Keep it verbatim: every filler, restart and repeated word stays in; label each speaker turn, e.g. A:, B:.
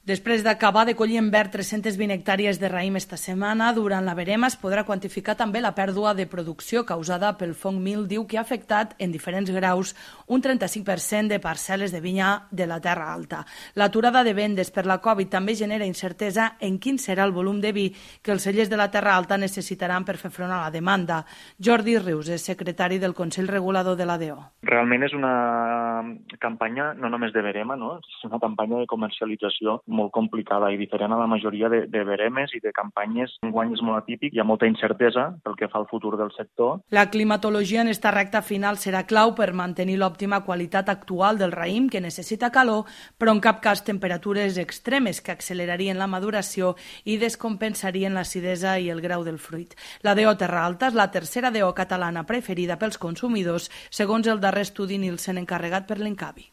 A: Després d'acabar de collir en verd tres-centes vint hectàrees de raïm esta setmana, durant la verema es podrà quantificar també la pèrdua de producció causada pel fong míldiu que ha afectat en diferents graus un trenta-cinc per cent de parcel·les de vinya de la Terra Alta. L'aturada de vendes per la Covid també genera incertesa en quin serà el volum de vi que els cellers de la Terra Alta necessitaran per fer front a la demanda. Jordi Rius és secretari del Consell Regulador de l'A D O.
B: Realment és una campanya no només de verema, no? És una campanya de comercialització molt complicada i diferent a la majoria de, de veremes i de campanyes. Enguany és molt atípic, hi ha molta incertesa pel que fa al futur del sector.
A: La climatologia en esta recta final serà clau per mantenir l'òptima qualitat actual del raïm, que necessita calor, però en cap cas temperatures extremes que accelerarien la maduració i descompensarien l'acidesa i el grau del fruit. La D O Terra Alta és la tercera D O catalana preferida pels consumidors, segons el darrer estudi Nielsen encarregat per l'Incavi.